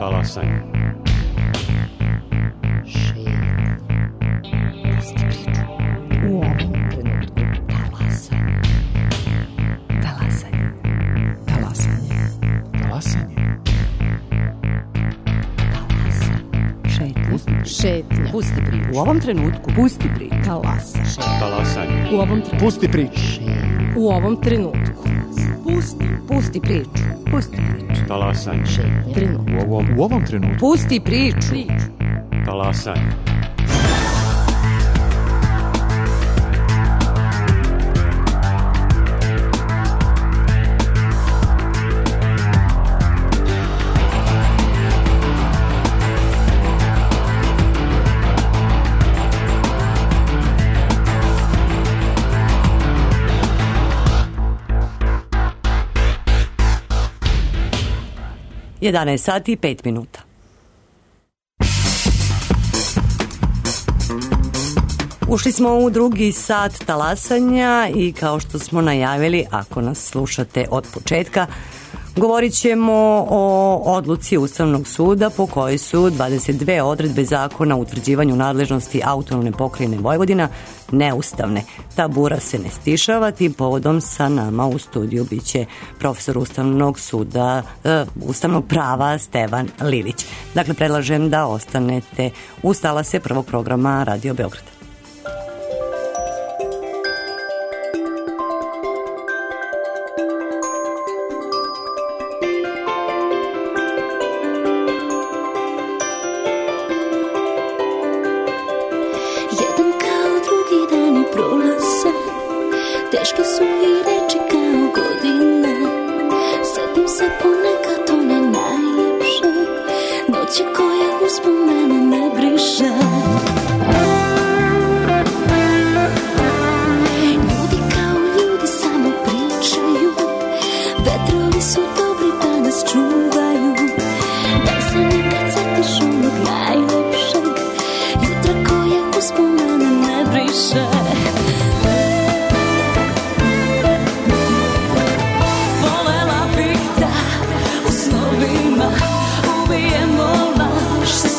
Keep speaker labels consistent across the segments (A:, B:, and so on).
A: Talasanje.
B: U ovom trenutku talasanje. Talasanje. Talasanje.
C: Talasanje.
B: Šetnja.
D: Pusti priču. U ovom trenutku pusti priču.
A: Talasanje.
D: U ovom trenutku.
C: Pusti priču.
B: U ovom trenutku.
D: Pusti priču. Pusti priču.
A: Talasanje.
B: Trenutak.
C: U ovom trenutku.
D: Pusti priču.
A: Talasanje.
D: Jedanaest sati i 5 minuta. Ušli smo u drugi sat talasanja i kao što smo najavili, ako nas slušate od početka, govorit ćemo o odluci Ustavnog suda po kojoj su 22 odredbe zakona o utvrđivanju nadležnosti Autonomne pokrajine Vojvodina neustavne. Ta bura se ne stišava, tim povodom sa nama u studiju biće profesor Ustavnog suda, Ustavnog prava Stevan Lilić. Dakle, predlažem da ostanete uz talase prvog programa Radio Beograd.
E: Teške su i reči kao godine. Setim se ponekad one najljepše noći koje uspomene ne briše. Ljudi kao ljudi samo pričaju. Vetrovi su dobri da nas čuvaju. Da se nekad setiš onog najljepšeg jutra koje uspomene ne briše. Ubijemo laž sa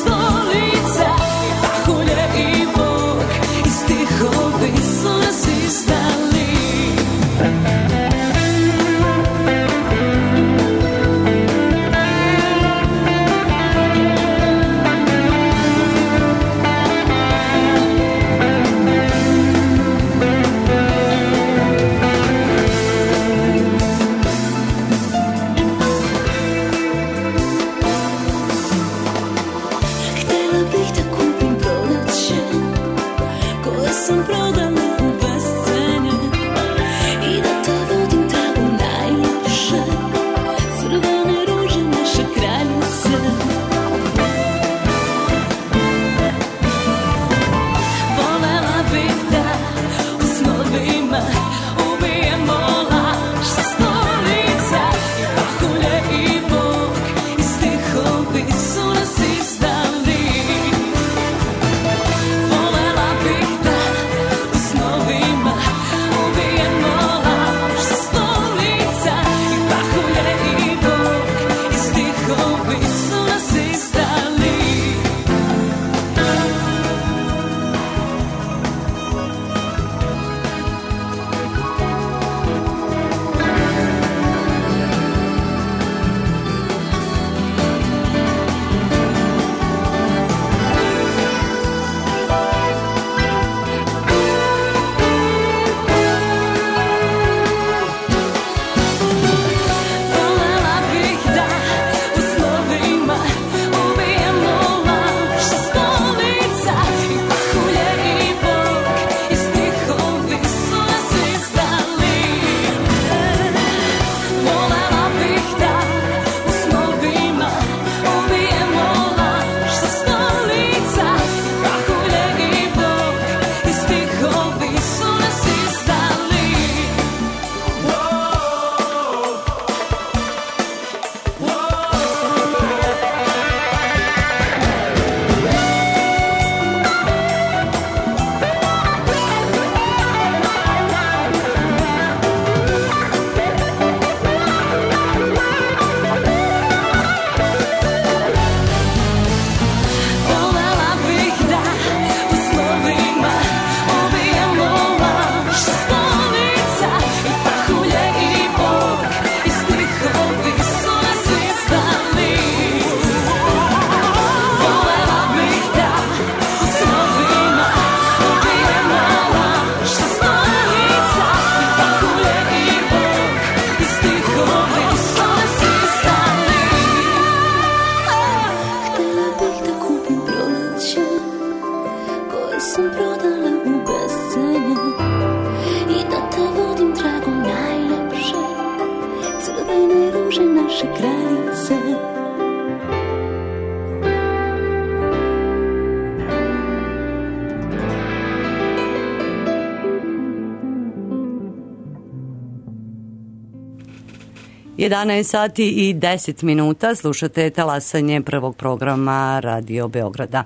D: 11 sati i 10 minuta, slušate talasanje prvog programa Radio Beograda.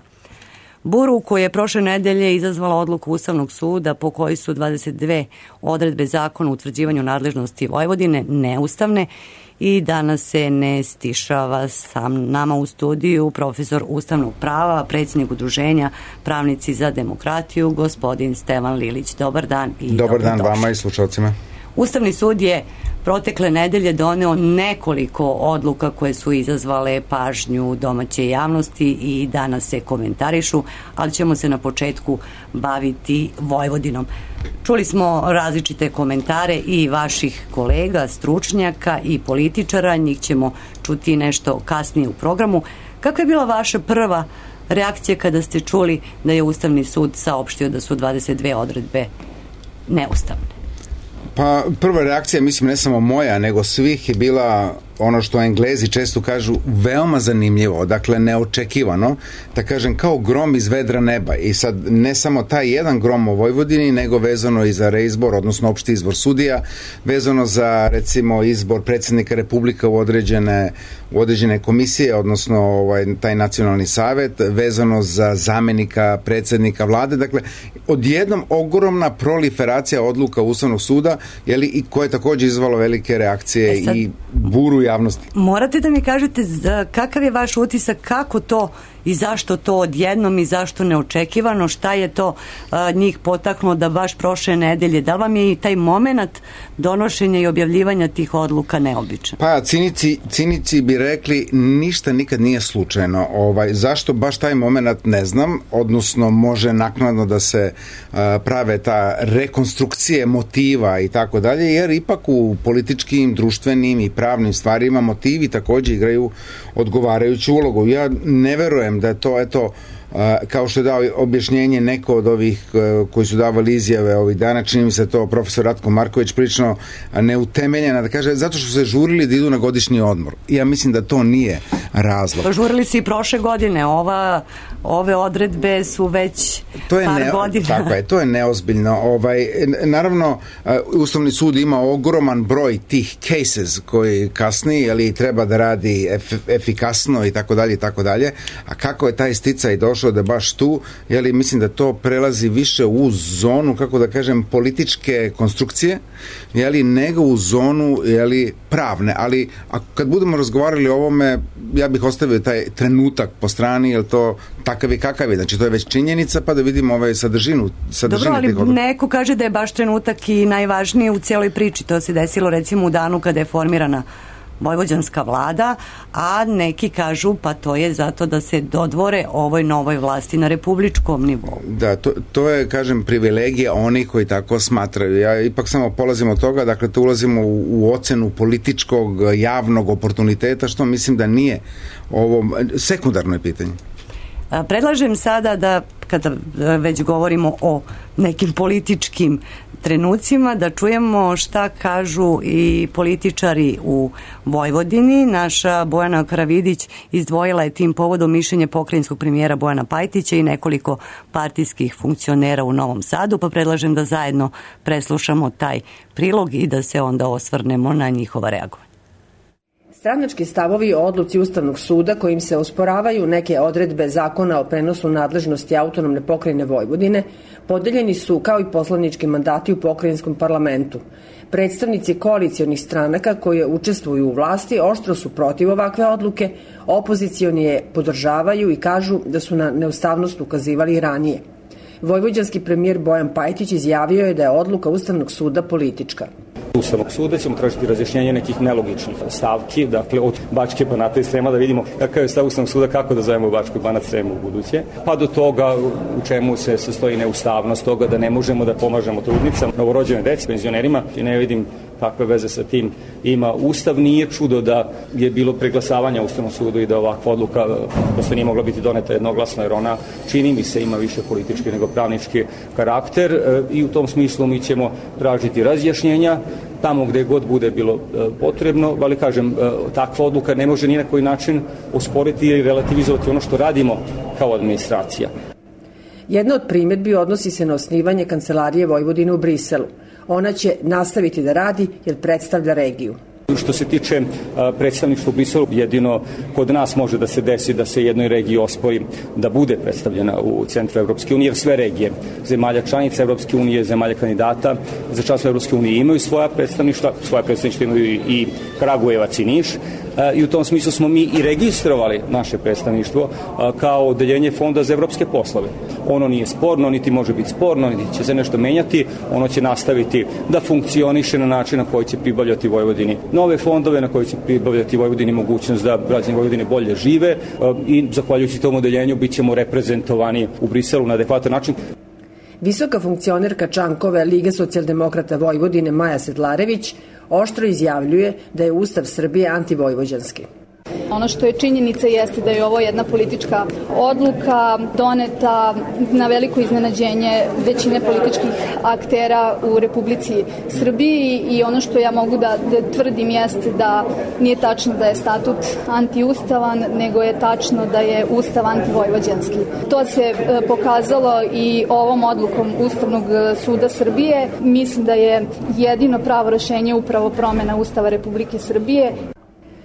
D: Buru koju je prošle nedelje izazvala odluku Ustavnog suda po kojoj su 22 odredbe zakona o utvrđivanju nadležnosti Vojvodine neustavne i danas se ne stišava sam nama u studiju profesor ustavnog prava, predsjednik udruženja Pravnici za demokratiju, gospodin Stevan Lilić. Dobar dan i
F: dobar dan
D: dobrodošli.
F: Vama i slušalcima.
D: Ustavni sud je protekle nedelje doneo nekoliko odluka koje su izazvale pažnju domaće javnosti i danas se komentarišu, ali ćemo se na početku baviti Vojvodinom. Čuli smo različite komentare i vaših kolega, stručnjaka i političara, njih ćemo čuti nešto kasnije u programu. Kakva je bila vaša prva reakcija kada ste čuli da je Ustavni sud saopštio da su 22 odredbe neustavne?
F: Pa prva reakcija, mislim ne samo moja, nego svih je bila ono što Englezi često kažu veoma zanimljivo, dakle neočekivano, da kažem kao grom iz vedra neba. I sad ne samo taj jedan grom u Vojvodini, nego vezano i za reizbor, odnosno opšti izbor sudija, vezano za recimo izbor predsjednika Republika u određene komisije, odnosno taj nacionalni savet, vezano za zamenika predsjednika vlade. Dakle, odjednom ogromna proliferacija odluka Ustavnog suda, i koje je također izvalo velike reakcije i buru javnosti.
D: Morate da mi kažete kakav je vaš utisak, kako to i zašto to odjednom i zašto neočekivano, šta je to njih potaknulo da baš prošle nedelje, da li vam je i taj moment donošenja i objavljivanja tih odluka neobičan?
F: Pa cinici bi rekli ništa nikad nije slučajno. Zašto baš taj moment ne znam, odnosno može naknadno da se prave ta rekonstrukcije motiva i tako dalje, jer ipak u političkim, društvenim i pravnim stvarima motivi također igraju odgovarajuću ulogu. Ja ne verujem da je to, kao što je dao objašnjenje neko od ovih koji su davali izjave ovih dana, čini mi se to profesor Ratko Marković prilično neutemeljena, da kaže zato što su se žurili da idu na godišnji odmor. Ja mislim da to nije razlog.
D: Pa žurili su i prošle godine, ove odredbe su već par godina.
F: Tako je, to je neozbiljno. Naravno, Ustavni sud ima ogroman broj tih cases koji kasni, ali treba da radi efikasno i tako dalje, a kako je taj sticaj došao da baš tu, mislim da to prelazi više u zonu, kako da kažem, političke konstrukcije, nego u zonu pravne, ali kad budemo razgovarali o ovome, ja bih ostavio taj trenutak po strani, jer to takav i kakav je, znači to je već činjenica, pa da vidimo sadržinu.
D: Dobro, ali neko kaže da je baš trenutak i najvažnije u cijeloj priči, to se desilo recimo u danu kada je formirana vojvođanska vlada, a neki kažu pa to je zato da se dodvore ovoj novoj vlasti na republičkom nivou.
F: Da, to je, kažem, privilegija onih koji tako smatraju. Ja ipak samo polazim od toga, dakle to ulazimo u ocenu političkog javnog oportuniteta, što mislim da nije ovo sekundarno pitanje.
D: Predlažem sada da, kada već govorimo o nekim političkim trenucima, da čujemo šta kažu i političari u Vojvodini. Naša Bojana Karavidić izdvojila je tim povodom mišljenje pokrajinskog premijera Bojana Pajtića i nekoliko partijskih funkcionera u Novom Sadu, pa predlažem da zajedno preslušamo taj prilog i da se onda osvrnemo na njihova reagovanja.
B: Stranački stavovi o odluci Ustavnog suda kojim se osporavaju neke odredbe zakona o prenosu nadležnosti autonomne pokrajine Vojvodine podeljeni su kao i poslanički mandati u pokrajinskom parlamentu. Predstavnici koalicijonih stranaka koje učestvuju u vlasti oštro su protiv ovakve odluke, opozicioni je podržavaju i kažu da su na neustavnost ukazivali i ranije. Vojvođanski premijer Bojan Pajtić izjavio je da je odluka Ustavnog suda politička.
G: Ustavnog suda ćemo tražiti razjašnjenje nekih nelogičnih stavki, dakle od Bačke Banata i Srema, da vidimo kakav je stav Ustavnog suda, kako da zovemo Bačku i Banat Sremu u buduće, pa do toga u čemu se sastoji neustavnost toga da ne možemo da pomažemo trudnicama, novorođene deci, penzionerima, i ne vidim kakve veze sa tim ima Ustav. Nije čudo da je bilo preglasavanja u Ustavnom sudu i da ovakva odluka prosto nije mogla biti doneta jednoglasno, jer ona, čini mi se, ima više politički nego pravnički karakter, i u tom smislu mi ćemo tražiti razjašnjenja tamo gde god bude bilo potrebno, ali kažem, takva odluka ne može ni na koji način osporiti ili relativizovati ono što radimo kao administracija.
B: Jedna od primjedbi odnosi se na osnivanje Kancelarije Vojvodine u Briselu. Ona će nastaviti da radi jer predstavlja regiju.
G: Što se tiče predstavništva u Briselu, jedino kod nas može da se desi da se jednoj regiji ospori da bude predstavljena u centru Evropske unije, jer sve regije zemalja članica Evropske unije, zemalja kandidata za članstvo Evropske unije imaju svoja predstavništva imaju i Kragujevac i Niš, i u tom smislu smo mi i registrovali naše predstavništvo kao odeljenje Fonda za evropske poslove. Ono nije sporno, niti može biti sporno, niti će se nešto menjati, ono će nastaviti da funkcioniše na način na koji će pribavljati Vojvodini nove fondove, na koji će pribavljati Vojvodini mogućnost da građani Vojvodine bolje žive, i zahvaljujući tom odeljenju bit ćemo reprezentovani u Briselu na adekvatan način.
B: Visoka funkcionerka Čankove Lige socijaldemokrata Vojvodine Maja Sedlarević oštro izjavljuje da je Ustav Srbije antivojvođanski.
H: Ono što je činjenica jeste da je ovo jedna politička odluka doneta na veliko iznenađenje većine političkih aktera u Republici Srbiji, i ono što ja mogu da tvrdim jeste da nije tačno da je statut antiustavan, nego je tačno da je Ustav antivojvođanski. To se pokazalo i ovom odlukom Ustavnog suda Srbije. Mislim da je jedino pravo rešenje upravo promena Ustava Republike Srbije.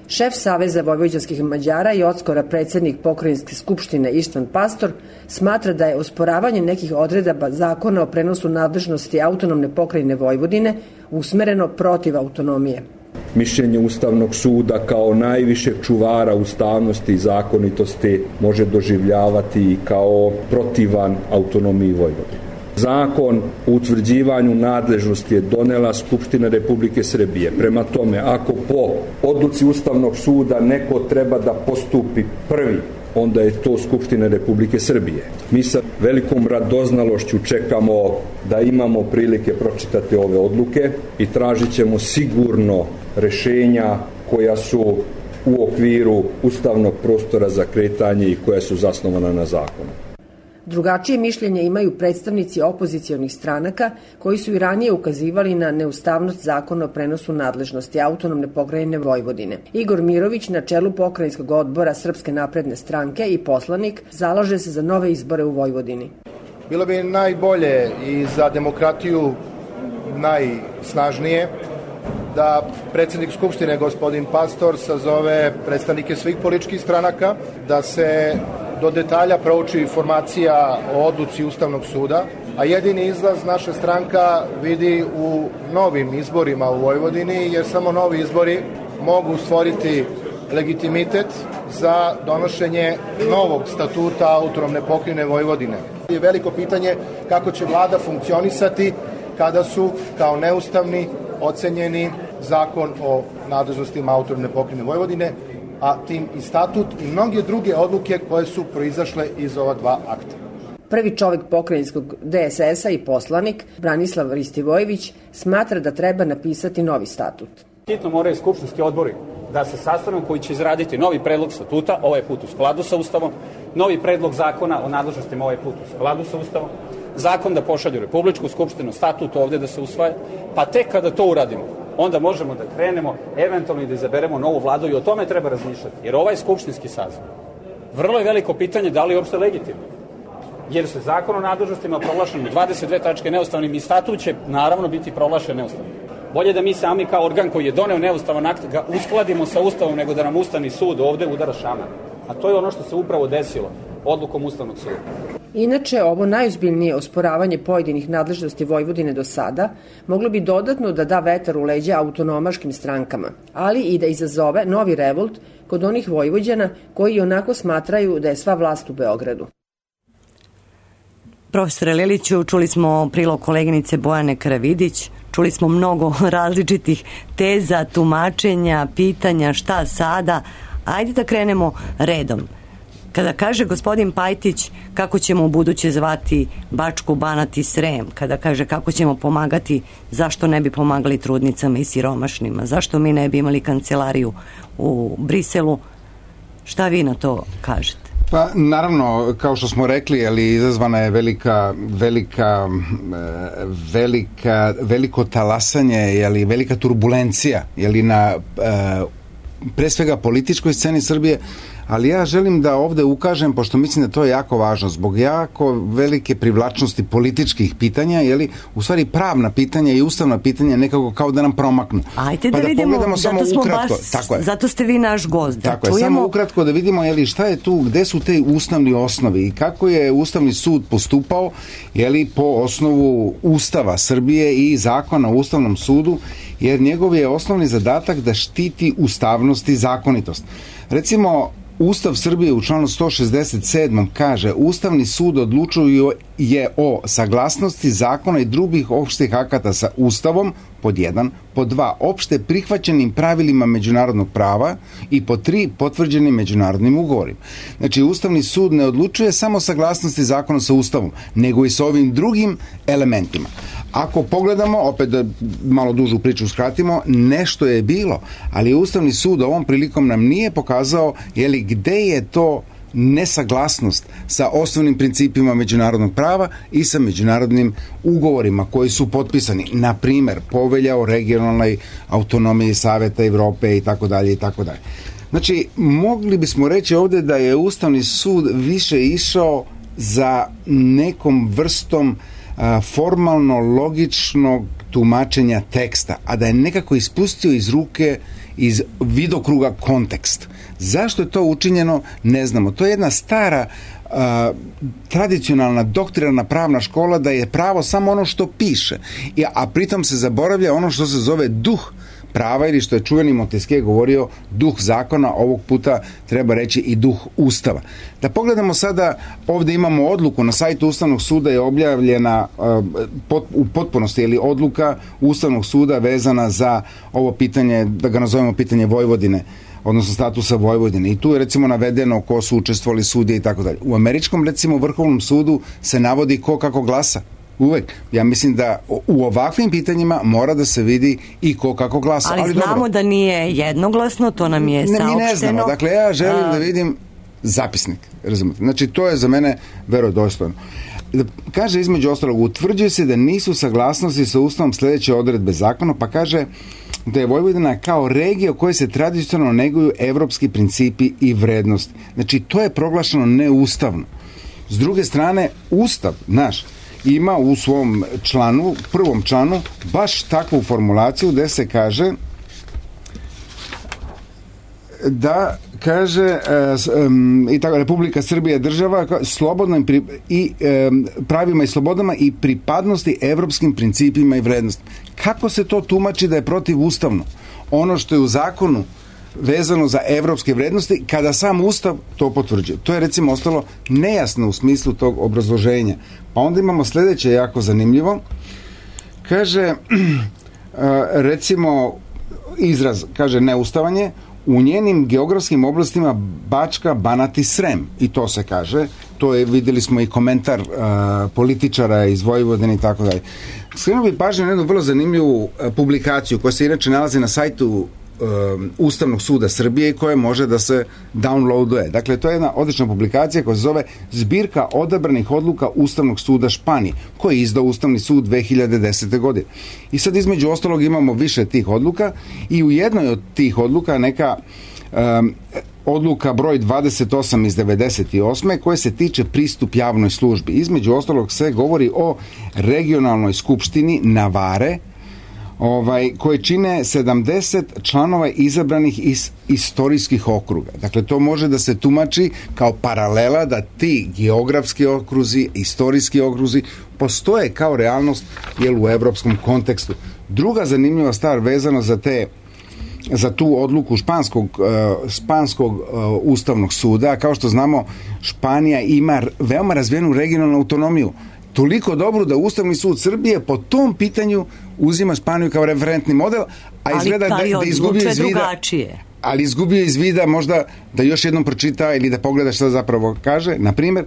B: Šef Saveza vojvođanskih Mađara i odskora predsednik Pokrajinske skupštine Ištvan Pastor smatra da je osporavanje nekih odredaba zakona o prenosu nadležnosti autonomne pokrajine Vojvodine usmereno protiv autonomije.
I: Mišljenje Ustavnog suda kao najvišeg čuvara ustavnosti i zakonitosti može doživljavati i kao protivan autonomiji Vojvodine. Zakon o utvrđivanju nadležnosti je donela Skupština Republike Srbije. Prema tome, ako po odluci Ustavnog suda neko treba da postupi prvi, onda je to Skupština Republike Srbije. Mi sa velikom radoznalošću čekamo da imamo prilike pročitati ove odluke i tražit ćemo sigurno rešenja koja su u okviru ustavnog prostora za kretanje i koja su zasnovana na zakonu.
B: Drugačije mišljenje imaju predstavnici opozicionih stranaka koji su i ranije ukazivali na neustavnost zakona o prenosu nadležnosti autonomne pokrajine Vojvodine. Igor Mirović na čelu pokrajinskog odbora Srpske napredne stranke i poslanik zalaže se za nove izbore u Vojvodini.
J: Bilo bi najbolje i za demokratiju najsnažnije da predsednik Skupštine gospodin Pastor sazove predstavnike svih političkih stranaka, da se do detalja prouči informacija o odluci Ustavnog suda, a jedini izlaz naša stranka vidi u novim izborima u Vojvodini, jer samo novi izbori mogu stvoriti legitimitet za donošenje novog statuta autonomne pokrajine Vojvodine. Je veliko pitanje kako će vlada funkcionisati kada su kao neustavni ocenjeni zakon o nadležnostima autonomne pokrajine Vojvodine, a tim i statut i mnoge druge odluke koje su proizašle iz ova dva akta.
B: Prvi čovek pokrajinskog DSS-a i poslanik, Branislav Ristivojević, smatra da treba napisati novi statut.
K: Hitno moraju skupštinski odbori da se sastanu koji će izraditi novi predlog statuta, ovaj put u skladu sa Ustavom, novi predlog zakona o nadležnostima, ovaj put u skladu sa Ustavom, zakon da pošalju Republičku skupštinu, statut ovde da se usvaja, pa tek kada to uradimo, onda možemo da krenemo, eventualno i da izaberemo novu vladu, i o tome treba razmišljati. Jer ovaj skupštinski saziv, vrlo je veliko pitanje da li je uopšte legitimno. Jer se zakon o nadležnostima proglašen 22 tačke neustavnim i statut će naravno biti proglašen neustavnim. Bolje da mi sami kao organ koji je doneo neustavan akt ga uskladimo sa Ustavom, nego da nam Ustavni sud ovde udara šamar. A to je ono što se upravo desilo odlukom Ustavnog suda.
B: Inače, ovo najozbiljnije osporavanje pojedinih nadležnosti Vojvodine do sada moglo bi dodatno da da vetar u leđa autonomaškim strankama, ali i da izazove novi revolt kod onih Vojvođana koji onako smatraju da je sva vlast u Beogradu.
D: Profesore Leliću, čuli smo prilog koleginice Bojane Karavidić, čuli smo mnogo različitih teza, tumačenja, pitanja, šta sada. Ajde da krenemo redom. Kada kaže gospodin Pajtić kako ćemo u buduće zvati Bačku, Banat i Srem, kada kaže kako ćemo pomagati, zašto ne bi pomagali trudnicama i siromašnima, zašto mi ne bi imali kancelariju u Briselu, šta vi na to kažete?
F: Pa naravno, kao što smo rekli, ali izazvana je veliko talasanje, ali velika turbulencija, na pre svega političkoj sceni Srbije, ali ja želim da ovde ukažem, pošto mislim da to je jako važno, zbog jako velike privlačnosti političkih pitanja, u stvari pravna pitanja i ustavna pitanja nekako kao da nam promaknu.
D: Ajde da vidimo,
F: samo ukratko.
D: Zato ste vi naš gost.
F: Tako je, samo ukratko da vidimo šta je tu, gde su te ustavni osnovi i kako je Ustavni sud postupao po osnovu Ustava Srbije i zakona o Ustavnom sudu, jer njegov je osnovni zadatak da štiti ustavnost i zakonitost. Recimo, Ustav Srbije u članu 167. kaže: Ustavni sud odlučuje o saglasnosti zakona i drugih opštih akata sa Ustavom, pod 1, pod 2, opšte prihvaćenim pravilima međunarodnog prava i pod 3, potvrđenim međunarodnim ugovorima. Znači, Ustavni sud ne odlučuje samo saglasnosti zakona sa Ustavom, nego i sa ovim drugim elementima. Ako pogledamo, opet da malo dužu priču skratimo, nešto je bilo, ali Ustavni sud ovom prilikom nam nije pokazao gde je to nesaglasnost sa osnovnim principima međunarodnog prava i sa međunarodnim ugovorima koji su potpisani. Na primer, Povelja o regionalnoj autonomiji Saveta Evrope i tako dalje i tako dalje. Znači, mogli bismo reći ovde da je Ustavni sud više išao za nekom vrstom formalno logičnog tumačenja teksta, a da je nekako ispustio iz ruke, iz vidokruga kontekst. Zašto je to učinjeno, ne znamo. To je jedna stara tradicionalna doktrinarna pravna škola da je pravo samo ono što piše, a pritom se zaboravlja ono što se zove duh prava, ili što je čuveni Montesquieu govorio, duh zakona, ovog puta treba reći i duh Ustava. Da pogledamo sada, ovde imamo odluku na sajtu Ustavnog suda, je objavljena u potpunosti, odluka Ustavnog suda vezana za ovo pitanje, da ga nazovemo pitanje Vojvodine, odnosno statusa Vojvodine. I tu je recimo navedeno ko su učestvovali sudije i tako dalje. U američkom, recimo, Vrhovnom sudu se navodi ko kako glasa. Uvek. Ja mislim da u ovakvim pitanjima mora da se vidi i ko kako glasa.
D: Ali znamo dobro, da nije jednoglasno, to nam je saopšteno.
F: Mi ne znamo. Dakle, ja želim da vidim zapisnik. Razumete? Znači, to je za mene verodostojno. Kaže, između ostalog, utvrđuje se da nisu saglasnosti sa Ustavom sledeće odredbe zakona, pa kaže da je Vojvodina kao regija u kojoj se tradicionalno neguju evropski principi i vrednosti. Znači, to je proglašeno neustavno. S druge strane, Ustav naš ima u svom članu, prvom članu, baš takvu formulaciju gde se kaže da kaže i tako, Republika Srbija je država slobodno i pravima i slobodama i pripadnosti evropskim principima i vrednostima. Kako se to tumači da je protivustavno? Ono što je u zakonu vezano za evropske vrednosti, kada sam Ustav to potvrđuje. To je recimo ostalo nejasno u smislu tog obrazloženja. Pa onda imamo sledeće jako zanimljivo. Kaže, recimo, izraz, kaže neustavanje, u njenim geografskim oblastima Bačka, Banat i Srem. I to se kaže. To je, videli smo i komentar političara iz Vojvodine i tako dalje. Skrenuo bih pažnju na jednu vrlo zanimljivu publikaciju koja se inače nalazi na sajtu Ustavnog suda Srbije i koja može da se downloaduje. Dakle, to je jedna odlična publikacija koja se zove Zbirka odabranih odluka Ustavnog suda Španije, koji je izdao Ustavni sud 2010. godine. I sad između ostalog imamo više tih odluka i u jednoj od tih odluka neka odluka broj 28 iz 98. koje se tiče pristup javnoj službi. Između ostalog se govori o regionalnoj skupštini Navare, koje čine 70 članova izabranih iz istorijskih okruga. Dakle, to može da se tumači kao paralela da ti geografski okruzi, istorijski okruzi postoje kao realnost u evropskom kontekstu. Druga zanimljiva stvar vezana za tu odluku španskog ustavnog suda, kao što znamo, Španija ima veoma razvijenu regionalnu autonomiju. Toliko dobro da Ustavni sud Srbije po tom pitanju uzima Španiju kao referentni model, a izgleda da izgubio iz vida. Ali izgubio iz vida možda da još jednom pročita ili da pogleda šta zapravo kaže. Na primjer,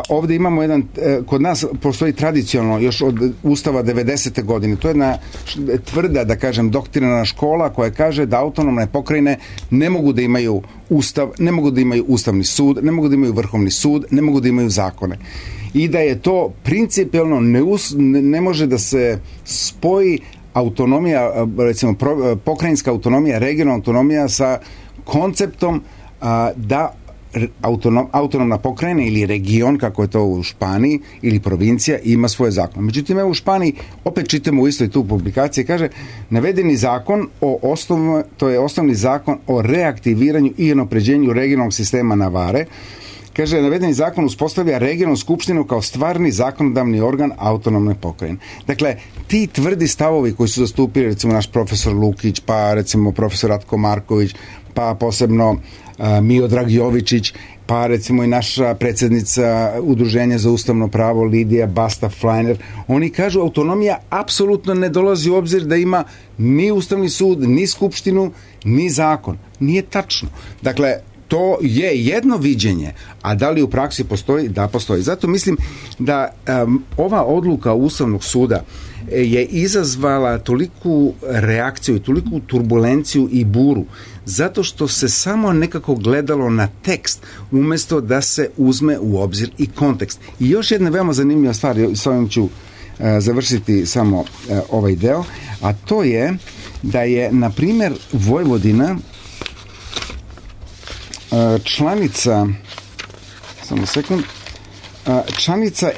F: ovde imamo jedan, kod nas postoji tradicionalno još od Ustava 90. godine, to je jedna tvrda, da kažem, doktrinarna škola koja kaže da autonomne pokrajine ne mogu da imaju ustav, ne mogu da imaju Ustavni sud, ne mogu da imaju Vrhovni sud, ne mogu da imaju zakone. I da je to principijelno ne može da se spoji autonomija, recimo pokrajinska autonomija, regionalna autonomija sa konceptom da autonomna pokrajina ili region, kako je to u Španiji, ili provincija, ima svoje zakon. Međutim, evo u Španiji, opet čitamo u istoj tu publikaciji, kaže, navedeni zakon to je osnovni zakon o reaktiviranju i unapređenju regionalnog sistema Navare. Kaže, navedeni zakon uspostavlja regionalnu skupštinu kao stvarni zakonodavni organ autonomne pokrajine. Dakle, ti tvrdi stavovi koji su zastupili, recimo, naš profesor Lukić, pa recimo profesor Ratko Marković, pa posebno Miodrag Jovičić, pa recimo i naša predsjednica Udruženja za ustavno pravo Lidija Basta-Fleiner, oni kažu autonomija apsolutno ne dolazi u obzir da ima ni Ustavni sud, ni skupštinu, ni zakon. Nije tačno. Dakle, to je jedno viđenje, a da li u praksi postoji? Da, postoji. Zato mislim da ova odluka Ustavnog suda je izazvala toliku reakciju i toliku turbulenciju i buru, zato što se samo nekako gledalo na tekst, umjesto da se uzme u obzir i kontekst. I još jedna veoma zanimljiva stvar, s ovim ću završiti samo ovaj deo, a to je da je, na primjer, Vojvodina članica, samo sekund, članica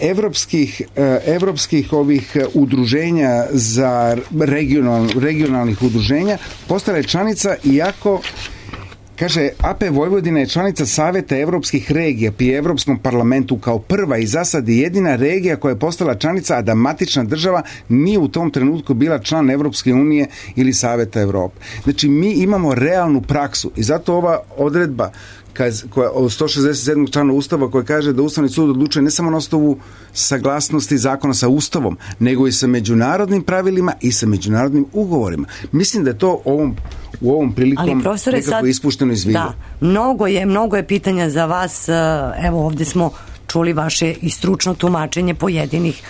F: evropskih ovih udruženja za regionalnih udruženja, postala je članica iako, kaže, AP Vojvodina je članica Saveta evropskih regija pri Evropskom parlamentu kao prva i za sad jedina regija koja je postala članica, a da matična država nije u tom trenutku bila član Evropske unije ili Saveta Evrope. Znači, mi imamo realnu praksu i zato ova odredba koja od 167. člana Ustava koja kaže da Ustavni sud odlučuje ne samo na osnovu saglasnosti zakona sa Ustavom, nego i sa međunarodnim pravilima i sa međunarodnim ugovorima. Mislim da je to u ovom prilikom nekako ispušteno iz vida.
D: Da, mnogo je pitanja za vas. Evo, ovdje smo čuli vaše i stručno tumačenje pojedinih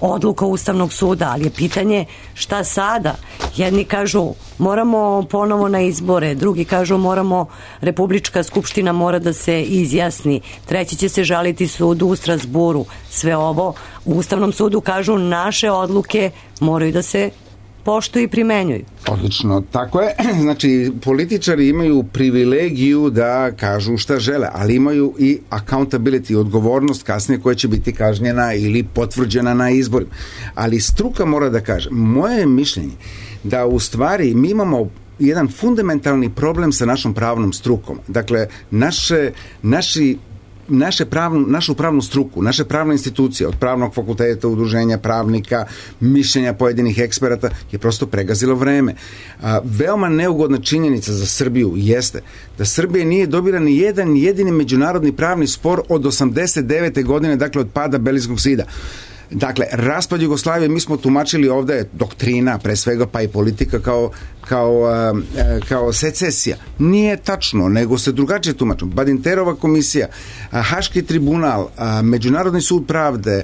D: odluka Ustavnog suda, ali je pitanje šta sada? Jedni kažu moramo ponovo na izbore, drugi kažu Republička skupština mora da se izjasni, treći će se žaliti sudu u Strasburu. Sve ovo u Ustavnom sudu kažu naše odluke moraju da se poštuju i primenjuju.
F: Odlično, tako je. Znači, političari imaju privilegiju da kažu šta žele, ali imaju i accountability, odgovornost kasnije koja će biti kažnjena ili potvrđena na izborima. Ali struka mora da kaže, moje je mišljenje da u stvari mi imamo jedan fundamentalni problem sa našom pravnom strukom. Dakle, našu pravnu struku, naše pravne institucije, od pravnog fakulteta, udruženja pravnika, mišljenja pojedinih eksperata, je prosto pregazilo vreme. Veoma neugodna činjenica za Srbiju jeste da Srbija nije dobila ni jedan jedini međunarodni pravni spor od 89. godine, dakle od pada Berlinskog zida. Dakle, raspad Jugoslavije mi smo tumačili ovdje doktrina, pre svega pa i politika kao secesija. Nije tačno, nego se drugačije tumačimo. Badinterova komisija, Haški tribunal, Međunarodni sud pravde,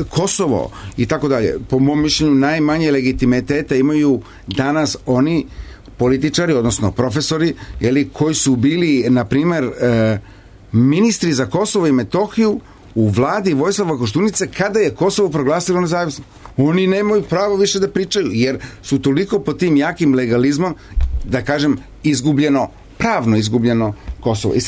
F: Kosovo i tako dalje. Po mom mišljenju najmanje legitimiteta imaju danas oni političari, odnosno profesori, koji su bili, na primjer, ministri za Kosovo i Metohiju u vladi Vojislava Koštunice kada je Kosovo proglasilo nezavisno. Oni nemaju pravo više da pričaju, jer su toliko pod tim jakim legalizmom, da kažem, pravno izgubljeno Kosovo. I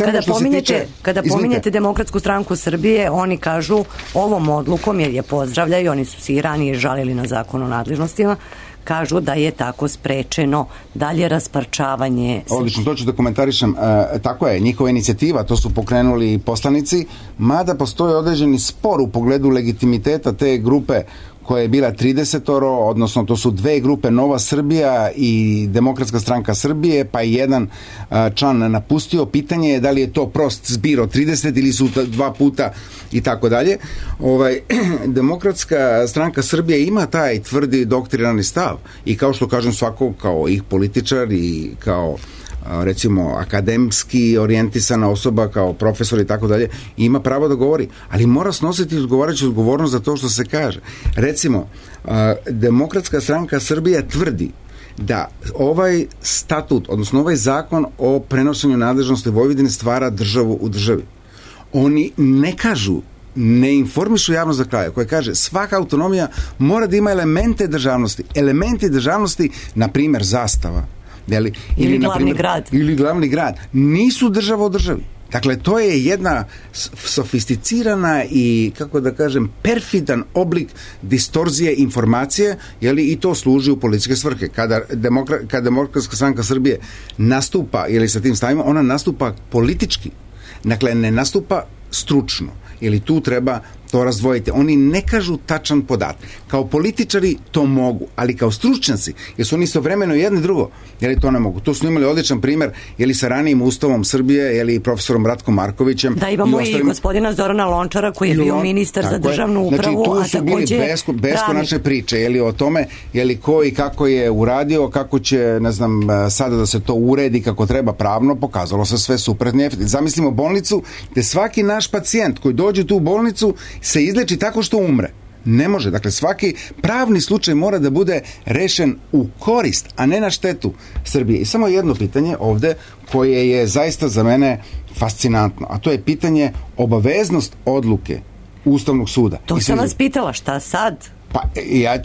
D: kada pominjete Demokratsku stranku Srbije, oni kažu ovom odlukom, jer je pozdravljaju, oni su se i ranije žalili na zakon o nadležnostima, kažu da je tako sprečeno dalje rasparčavanje.
F: Odlično, to ću da komentarišem. Tako je, njihova inicijativa, to su pokrenuli poslanici, mada postoji određeni spor u pogledu legitimiteta te grupe koja je bila 30, odnosno to su dve grupe, Nova Srbija i Demokratska stranka Srbije, pa jedan član napustio. Pitanje je da li je to prost zbir od 30 ili su dva puta i tako dalje. Demokratska stranka Srbije ima taj tvrdi doktrinarni stav i kao što kažem, svako kao ih političar i kao recimo akademski orijentisana osoba kao profesor i tako dalje, ima pravo da govori, ali mora snositi odgovarajuću odgovornost za to što se kaže. Recimo, Demokratska stranka Srbije tvrdi da ovaj statut, odnosno ovaj zakon o prenošenju nadležnosti Vojvodine stvara državu u državi. Oni ne kažu, ne informišu javnost do kraja, koja kaže svaka autonomija mora da ima elemente državnosti. Elementi državnosti, na primjer zastava,
D: Ili glavni grad.
F: Ili glavni grad. Nisu država u državi. Dakle, to je jedna sofisticirana i, kako da kažem, perfidan oblik distorzije informacije, i to služi u političke svrhe. Kada Demokratska stranka Srbije nastupa, sa tim stavima, ona nastupa politički. Dakle, ne nastupa stručno. Tu treba to razdvojiti. Oni ne kažu tačan podatak. Kao političari to mogu, ali kao stručnjaci, jer su oni istovremeno jedno i drugo, to ne mogu. To su imali odličan primer, sa ranijim Ustavom Srbije, profesorom Ratkom Markovićem.
D: Da, imamo i gospodina Zorana Lončara, koji je bio ministar za državnu upravu,
F: a takođe... Znači, tu su bili beskonačne priče, o tome, ko i kako je uradio, kako će, ne znam, sada da se to uredi kako treba pravno, pokazalo se sve suprotno. Zamislimo bolnicu gde svaki naš pacijent koji dođe tu u bolnicu se izleči tako što umre. Ne može. Dakle, svaki pravni slučaj mora da bude rešen u korist, a ne na štetu Srbije. I samo jedno pitanje ovde koje je zaista za mene fascinantno, a to je pitanje obaveznost odluke Ustavnog suda.
D: To sam vas pitala, šta sad?
F: Pa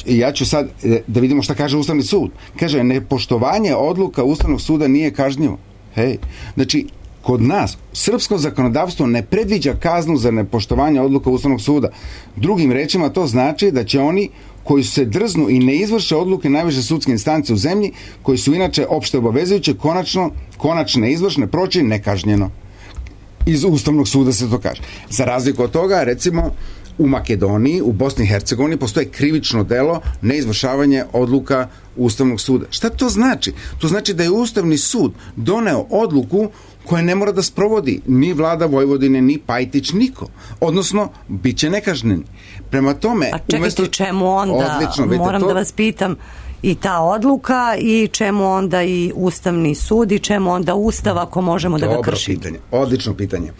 F: ja ću sad da vidimo šta kaže Ustavni sud. Kaže, nepoštovanje odluka Ustavnog suda nije kažnjivo. Znači, kod nas srpsko zakonodavstvo ne predviđa kaznu za nepoštovanje odluka Ustavnog suda. Drugim rečima, to znači da će oni koji se drznu i ne izvrše odluke najviše sudske instance u zemlji, koji su inače opšte obavezujuće, konačne izvršne proći nekažnjeno. Iz Ustavnog suda se to kaže. Za razliku od toga, recimo, u Makedoniji, u Bosni i Hercegovini postoje krivično delo neizvršavanje odluka Ustavnog suda. Šta to znači? To znači da je Ustavni sud doneo odluku koja ne mora da sprovodi ni vlada Vojvodine, ni Pajtić, niko. Odnosno, bit će nekažnjeni. Prema tome...
D: A čekajte, čemu onda, moram da vas pitam, i ta odluka i čemu onda i Ustavni sud i čemu onda Ustav ako možemo da ga kršimo?
F: Dobro pitanje, odlično pitanje.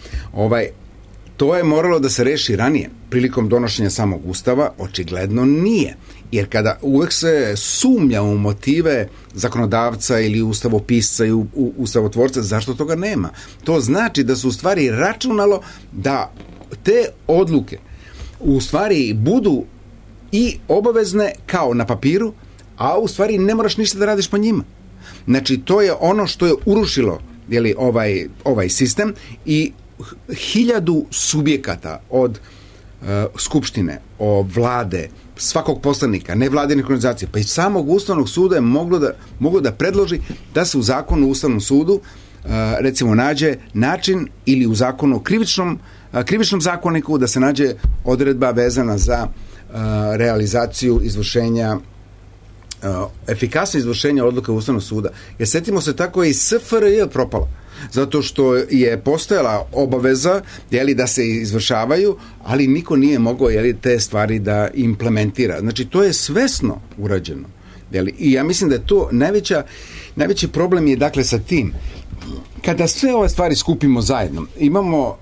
F: To je moralo da se reši ranije. Prilikom donošenja samog Ustava očigledno nije. Jer kada uvek se sumnja u motive zakonodavca ili ustavopisca i ustavotvorca, zašto toga nema? To znači da su u stvari računalo da te odluke u stvari budu i obavezne kao na papiru, a u stvari ne moraš ništa da radiš po njima. Znači, to je ono što je urušilo ovaj sistem i 1000 subjekata od Skupštine, od vlade, svakog poslanika, nevladinih organizacija, pa i samog Ustavnog suda je moglo da predloži da se u zakonu o Ustavnom sudu recimo nađe način ili u zakonu o krivičnom zakoniku da se nađe odredba vezana za realizaciju izvršenja efikasno izvršenje odluka Ustavnog suda. Jer setimo se, tako je i SFRJ propala. Zato što je postojala obaveza da se izvršavaju, ali niko nije mogao te stvari da implementira. Znači, to je svesno urađeno. I ja mislim da je to najveći problem je dakle sa tim. Kada sve ove stvari skupimo zajedno, imamo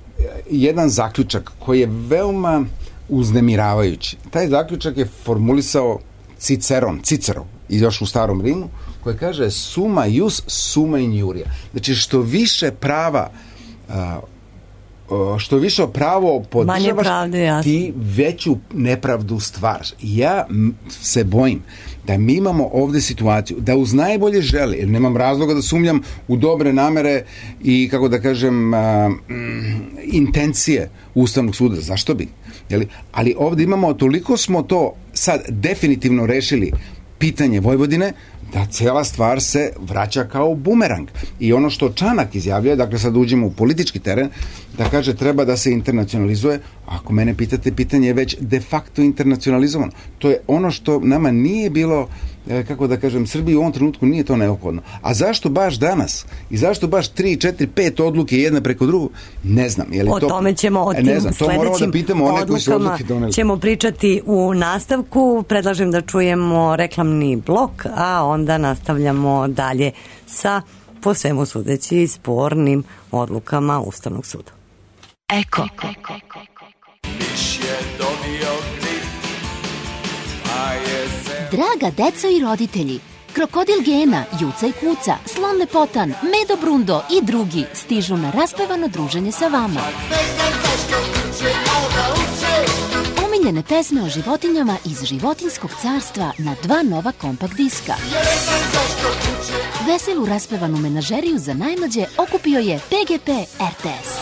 F: jedan zaključak koji je veoma uznemiravajući. Taj zaključak je formulisao Cicero, još u Starom Rimu, koji kaže summa ius summa injuria. Znači, što više pravo podržavaš, ti veću nepravdu stvaraš. Ja se bojim da mi imamo ovde situaciju da uz najbolje žele, jer nemam razloga da sumnjam u dobre namere i, kako da kažem, intencije Ustavnog suda. Zašto bi? Ali ovde imamo, toliko smo to sad definitivno rešili pitanje Vojvodine, da cijela stvar se vraća kao bumerang. I ono što Čanak izjavljuje, dakle sad uđemo u politički teren, da kaže treba da se internacionalizuje, ako mene pitate, pitanje je već de facto internacionalizovano. To je ono što nama nije bilo, kako da kažem, Srbiji u ovom trenutku nije to neophodno. A zašto baš danas? I zašto baš 3, 4, 5 odluke jedna preko drugu? Ne znam.
D: O tome ćemo, o tim sledećim odlukama ćemo pričati u nastavku. Predlažem da čujemo reklamni blok, a onda nastavljamo dalje sa, po svemu sudeći, spornim odlukama Ustavnog suda.
E: Eko. Draga deco i roditelji, Krokodil Gena, Juca i Kuca, Slon Lepotan, Medo Brundo i drugi stižu na raspevano druženje sa vama. Omiljene pesme o životinjama iz životinjskog carstva na 2 nova kompakt diska.
L: Veselu raspevanu menažeriju za najmlađe okupio je PGP RTS.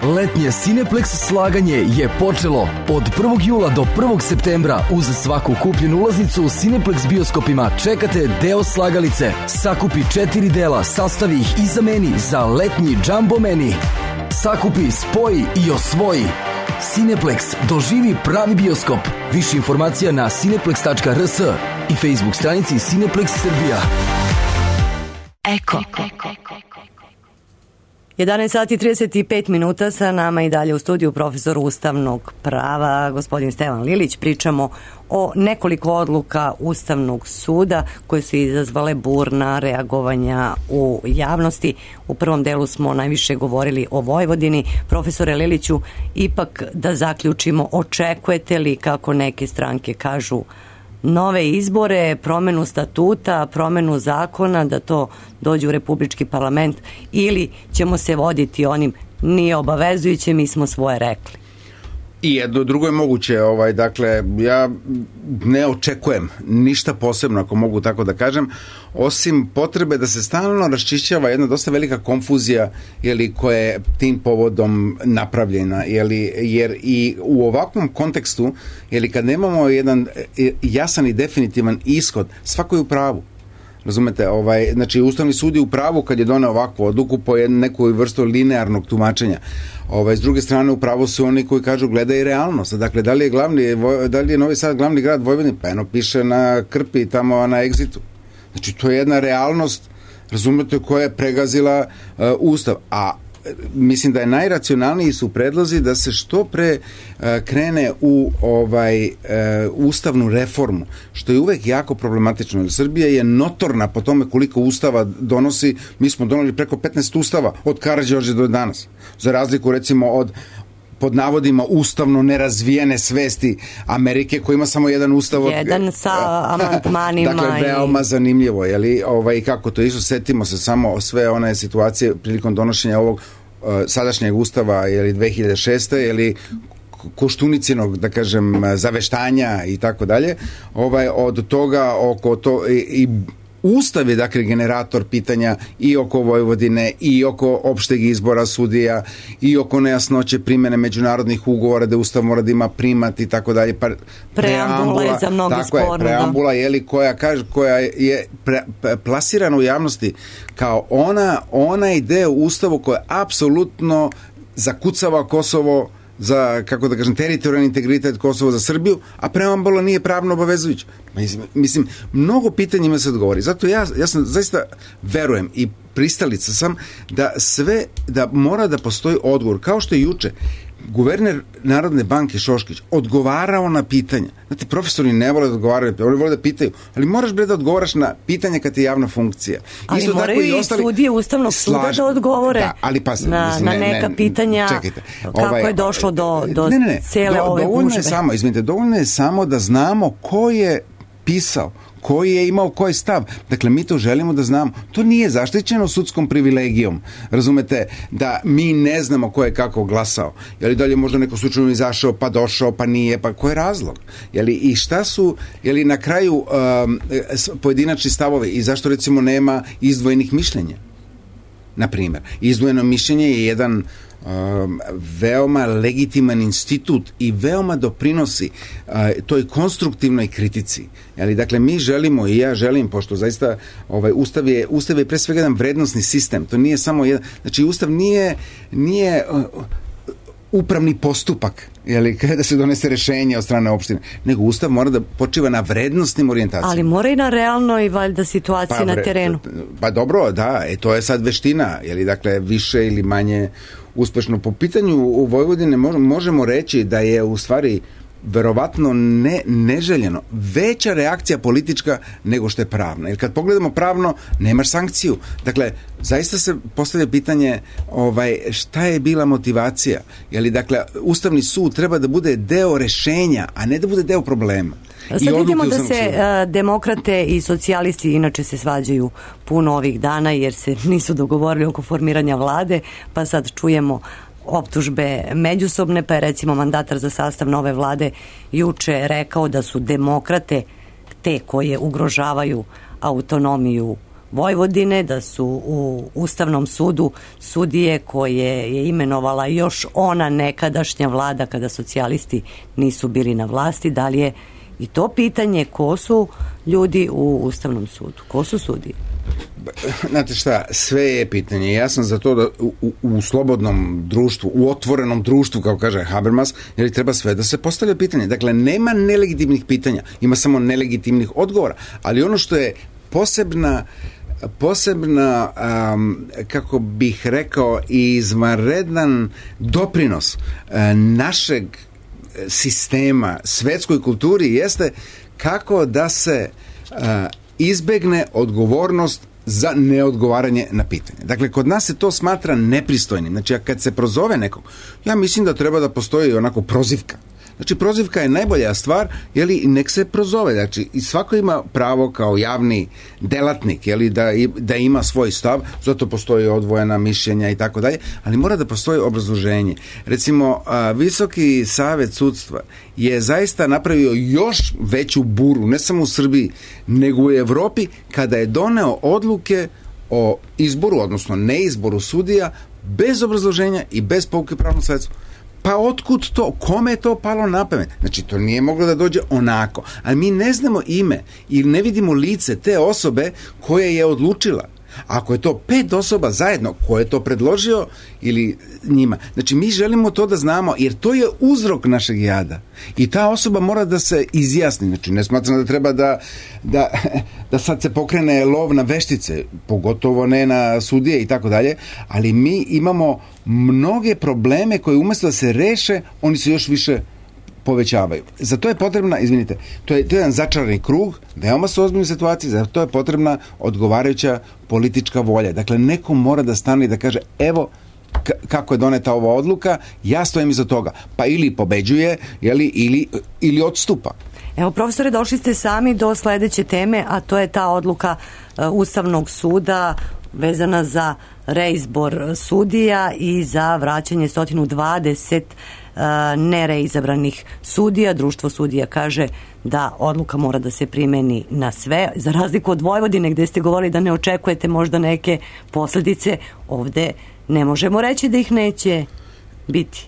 M: Letnje Cineplex slaganje je počelo. Od 1. jula do 1. septembra uz svaku kupljenu ulaznicu u Cineplex bioskopima čekate deo slagalice. Sakupi 4 dela, sastavi ih i zameni za letnji Jumbo Meni. Sakupi, spoji i osvoji. Cineplex, doživi pravi bioskop. Više informacija na cineplex.rs i Facebook stranici Cineplex Srbija.
D: Eko. 11 sati 35 minuta, sa nama i dalje u studiju profesor ustavnog prava gospodin Stevan Lilić. Pričamo o nekoliko odluka Ustavnog suda koje su izazvale burna reagovanja u javnosti. U prvom delu smo najviše govorili o Vojvodini. Profesore Liliću, ipak da zaključimo, očekujete li, kako neke stranke kažu, nove izbore, promenu statuta, promenu zakona, da to dođe u Republički parlament, ili ćemo se voditi onim nije obavezujuće, mi smo svoje rekli?
F: I jedno drugo je moguće, dakle, ja ne očekujem ništa posebno, ako mogu tako da kažem, osim potrebe da se stalno raščišćava jedna dosta velika konfuzija, koja je tim povodom napravljena, jer i u ovakvom kontekstu, kad nemamo jedan jasan i definitivan ishod, svako je u pravu. Razumete, znači Ustavni sud je u pravu kad je doneo ovakvu odluku po nekoj vrstu linearnog tumačenja. S druge strane, u pravu su oni koji kažu gledaj realnost. Dakle, da li je Novi Sad glavni grad Vojvodine? Pa eno piše na krpi tamo na egzitu. Znači, to je jedna realnost, razumete, koja je pregazila Ustav. A mislim da je najracionalniji su predlozi da se što pre krene u ustavnu reformu, što je uvek jako problematično, jer Srbija je notorna po tome koliko ustava donosi. Mi smo doneli preko 15 ustava od Karađorđa do danas, za razliku recimo od pod navodima ustavno nerazvijene svesti Amerike, koja ima samo jedan ustav.
D: Jedan sa amandmanima.
F: Dakle, veoma zanimljivo, kako to išlo. Setimo se samo sve one situacije prilikom donošenja ovog sadašnjeg ustava 2006. Koštunicinog, da kažem, zaveštanja i tako dalje. Od toga oko to i Ustav je, dakle, generator pitanja i oko Vojvodine, i oko opšteg izbora sudija, i oko nejasnoće primene međunarodnih ugovora, da Ustav mora da ima primat i tako dalje.
D: Preambula je za mnogi sporno.
F: Preambula koja je plasirana u javnosti kao onaj deo Ustavu koja apsolutno zakucava Kosovo za, kako da kažem, teritorijalni integritet Kosova za Srbiju, a preambula nije pravno obavezujuća. Mislim, mnogo pitanja ima se odgovori. Zato ja sam zaista verujem i pristalica sam da mora da postoji odgovor. Kao što je juče guverner Narodne banke Šoškić odgovarao na pitanja. Znate, profesori ne vole da odgovaraju, oni vole da pitaju, ali moraš da odgovaraš na pitanja kad je javna funkcija.
D: Ali isto moraju i sudije Ustavnog suda da odgovore na neka pitanja.
F: Čekajte,
D: kako je došlo do cele ove gužve.
F: Dovoljno je samo da znamo ko je pisao, koji je imao koji stav. Dakle, mi to želimo da znamo. To nije zaštićeno sudskom privilegijom. Razumete, da mi ne znamo ko je kako glasao. Da li je možda neko slučajno izašao, pa došao, pa nije, pa ko je razlog? I šta su, na kraju pojedinačni stavovi i zašto recimo nema izdvojenih mišljenja? Naprimjer, izdvojeno mišljenje je jedan veoma legitiman institut i veoma doprinosi toj konstruktivnoj kritici. Dakle, mi želimo i ja želim, pošto zaista Ustav je pre svega jedan vrednosni sistem, to nije samo jedan, znači Ustav nije upravni postupak, kada se donese rešenje od strane opštine, nego Ustav mora da počiva na vrednostnim orijentacijama.
D: Ali mora i na realnoj, valjda, situaciji na terenu.
F: Pa dobro, da, to je sad veština, dakle, više ili manje uspešno. Po pitanju u Vojvodine možemo reći da je u stvari verovatno neželjeno veća reakcija politička nego što je pravna. Jer kad pogledamo pravno, nemaš sankciju. Dakle, zaista se postavlja pitanje šta je bila motivacija. Dakle, Ustavni sud treba da bude deo rešenja, a ne da bude deo problema.
D: Sad vidimo da se demokrate i socijalisti inače se svađaju puno ovih dana jer se nisu dogovorili oko formiranja vlade, pa sad čujemo optužbe međusobne, pa je recimo mandatar za sastav nove vlade juče rekao da su demokrate te koje ugrožavaju autonomiju Vojvodine, da su u Ustavnom sudu sudije koje je imenovala još ona nekadašnja vlada kada socijalisti nisu bili na vlasti. Da li je i to pitanje ko su ljudi u Ustavnom sudu? Ko su sudije?
F: Znate šta, sve je pitanje. Ja sam za to da u slobodnom društvu, u otvorenom društvu, kao kaže Habermas, jer treba sve da se postavlja pitanje. Dakle, nema nelegitimnih pitanja, ima samo nelegitimnih odgovora. Ali ono što je posebna kako bih rekao, izvanredan doprinos našeg sistema svetskoj kulturi jeste kako da se izbegne odgovornost za neodgovaranje na pitanje. Dakle, kod nas se to smatra nepristojnim. Znači, kad se prozove nekog, ja mislim da treba da postoji onako prozivka. Znači, prozivka je najbolja stvar, jeli, nek se prozove. Znači, i svako ima pravo kao javni delatnik, jeli, da ima svoj stav, zato postoji odvojena mišljenja i tako dalje, ali mora da postoji obrazloženje. Recimo, Visoki savet sudstva je zaista napravio još veću buru, ne samo u Srbiji, nego u Evropi, kada je doneo odluke o izboru, odnosno neizboru sudija, bez obrazloženja i bez pouke pravnom sredstvu. Pa otkud to? Kome je to palo na pamet? Znači, to nije moglo da dođe onako. Ali mi ne znamo ime ili ne vidimo lice te osobe koja je odlučila. Ako je to 5 osoba zajedno, ko je to predložio ili njima. Znači, mi želimo to da znamo, jer to je uzrok našeg jada. I ta osoba mora da se izjasni. Znači, ne smatram da treba da sad se pokrene lov na veštice, pogotovo ne na sudije i tako dalje, ali mi imamo mnoge probleme koje umjesto da se reše, oni se još više povećavaju. Za to je potrebna, izvinite, to je jedan začarani krug, veoma su ozbiljne situacije, za to je potrebna odgovarajuća politička volja. Dakle, neko mora da stane i da kaže, evo kako je doneta ova odluka, ja stojim iza toga. Pa ili pobeđuje, ili odstupa.
D: Evo, profesore, došli ste sami do sledeće teme, a to je ta odluka Ustavnog suda vezana za reizbor sudija i za vraćanje 120 nereizabranih sudija. Društvo sudija kaže da odluka mora da se primeni na sve, za razliku od Vojvodine gde ste govorili da ne očekujete možda neke posledice. Ovde ne možemo reći da ih neće biti.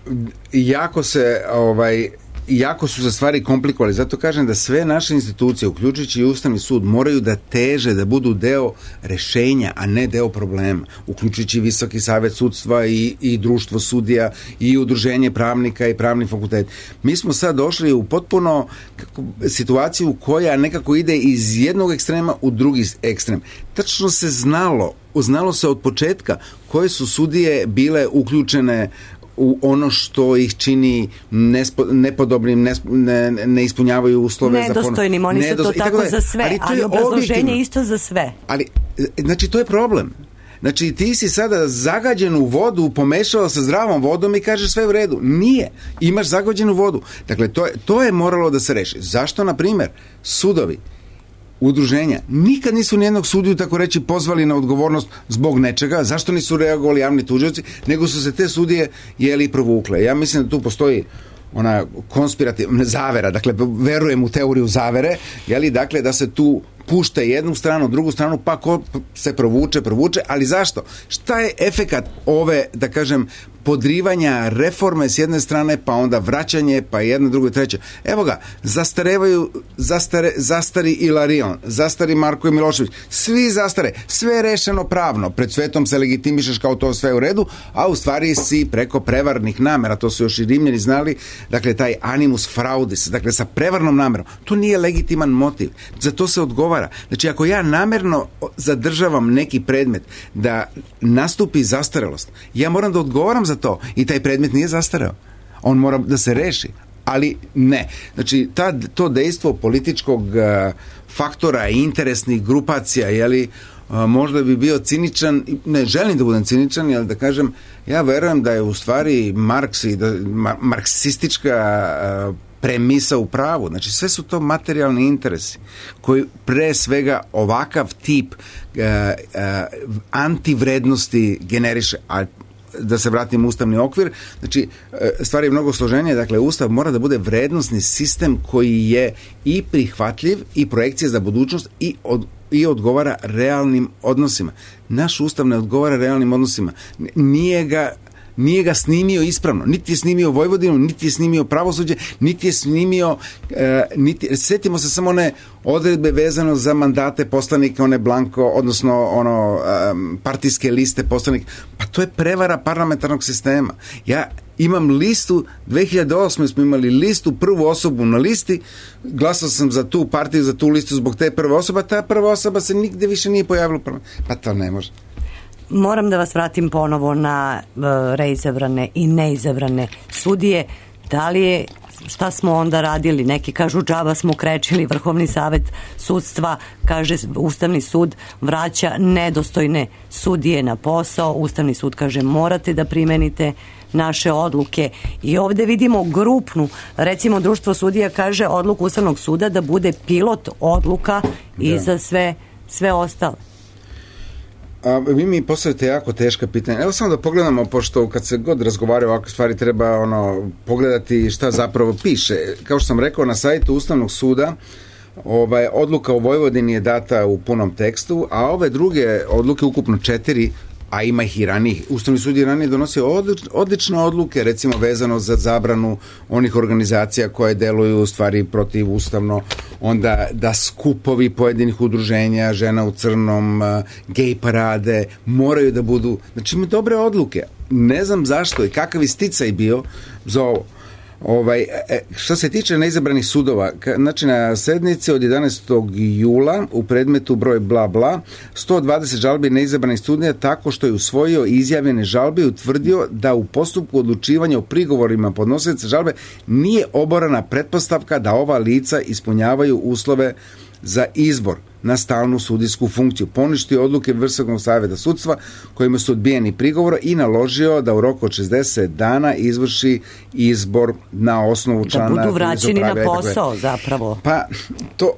F: Jako su se stvari komplikovali, zato kažem da sve naše institucije, uključujući i Ustavni sud, moraju da teže, da budu deo rešenja, a ne deo problema, uključujući Visoki savet sudstva i društvo sudija i udruženje pravnika i pravni fakultet. Mi smo sad došli u potpuno situaciju koja nekako ide iz jednog ekstrema u drugi ekstrem. Tačno se znalo se od početka koje su sudije bile uključene u ono što ih čini nepodobnim, ne ispunjavaju uslove
D: nedostojnim, oni su to tako za sve, ali obrazloženje isto za sve.
F: Ali, znači, to je problem. Znači, ti si sada zagađenu vodu pomešao sa zdravom vodom i kažeš sve u redu. Nije. Imaš zagađenu vodu. Dakle, to je moralo da se reši. Zašto, na primjer, sudovi, udruženja nikad nisu nijednog sudiju, tako reći, pozvali na odgovornost zbog nečega? Zašto nisu reagovali javni tužioci, nego su se te sudije provukle? Ja mislim da tu postoji ona konspirativna zavera, dakle, verujem u teoriju zavere, dakle, da se tu pušta jednu stranu, drugu stranu, pa ko se provuče, ali zašto? Šta je efekat ove, da kažem, podrivanja reforme s jedne strane, pa onda vraćanje, pa jedno, drugo i treće? Evo ga, zastari Ilarion, zastari Marko Milošević, svi zastare, sve je rešeno pravno, pred svetom se legitimišeš kao to sve u redu, a u stvari si preko prevarnih namera, to su još i Rimljani znali, dakle, taj animus fraudis, dakle, sa prevarnom namerom, to nije legitiman motiv, za to se odgovara. Znači, ako ja namerno zadržavam neki predmet da nastupi zastarelost, ja moram da odgovaram za to i taj predmet nije zastareo. On mora da se reši, ali ne. Znači, to dejstvo političkog faktora i interesnih grupacija, možda bi bio ciničan, ne želim da budem ciničan, ali da kažem, ja verujem da je u stvari Marks i marksistička premisa u pravu. Znači, sve su to materijalni interesi koji pre svega ovakav tip antivrednosti generiše. A da se vratim u ustavni okvir, znači stvar je mnogo složenije, dakle ustav mora da bude vrednosni sistem koji je i prihvatljiv i projekcija za budućnost i odgovara realnim odnosima. Naš ustav ne odgovara realnim odnosima. Nije ga snimio ispravno. Niti je snimio Vojvodinu, niti je snimio pravosuđe, niti je snimio sjetimo se samo one odredbe vezano za mandate poslanika, one blanko, odnosno partijske liste poslanika. Pa to je prevara parlamentarnog sistema. Ja imam listu, 2008. smo imali listu, prvu osobu na listi, glasao sam za tu partiju, za tu listu zbog te prve osobe, ta prva osoba se nigde više nije pojavila. Pa to ne može.
D: Moram da vas vratim ponovo na reizabrane i neizabrane sudije. Da li je, šta smo onda radili? Neki kažu džaba smo krečili, Vrhovni savet sudstva, kaže Ustavni sud vraća nedostojne sudije na posao, Ustavni sud kaže morate da primenite naše odluke. I ovde vidimo grupnu, recimo Društvo sudija kaže odluku Ustavnog suda da bude pilot odluka i za sve ostale.
F: Vi mi postavite jako teška pitanja. Evo samo da pogledamo, pošto kad se god razgovaraju o ovakve stvari treba pogledati šta zapravo piše. Kao što sam rekao, na sajtu Ustavnog suda odluka o Vojvodini je data u punom tekstu, a ove druge odluke, ukupno 4, a ima ih i ranije. Ustavni sud je ranije donosio odlične odluke, recimo vezano za zabranu onih organizacija koje deluju u stvari protivustavno, onda da skupovi pojedinih udruženja, žena u crnom, gej parade, moraju da budu, znači ima dobre odluke. Ne znam zašto i kakav je sticaj bio za ovo. Što se tiče neizabranih sudova, znači na sednici od 11. jula u predmetu broj bla bla 120 žalbi neizabranih sudija tako što je usvojio izjavljene žalbe i utvrdio da u postupku odlučivanja o prigovorima podnosioca žalbe nije oborana pretpostavka da ova lica ispunjavaju uslove za izbor na stalnu sudijsku funkciju. Poništio odluke Vrhovnog saveta sudstva kojima su odbijeni prigovor i naložio da u roku od 60 dana izvrši izbor na osnovu člana.
D: Da budu vraćeni na posao zapravo.
F: Pa to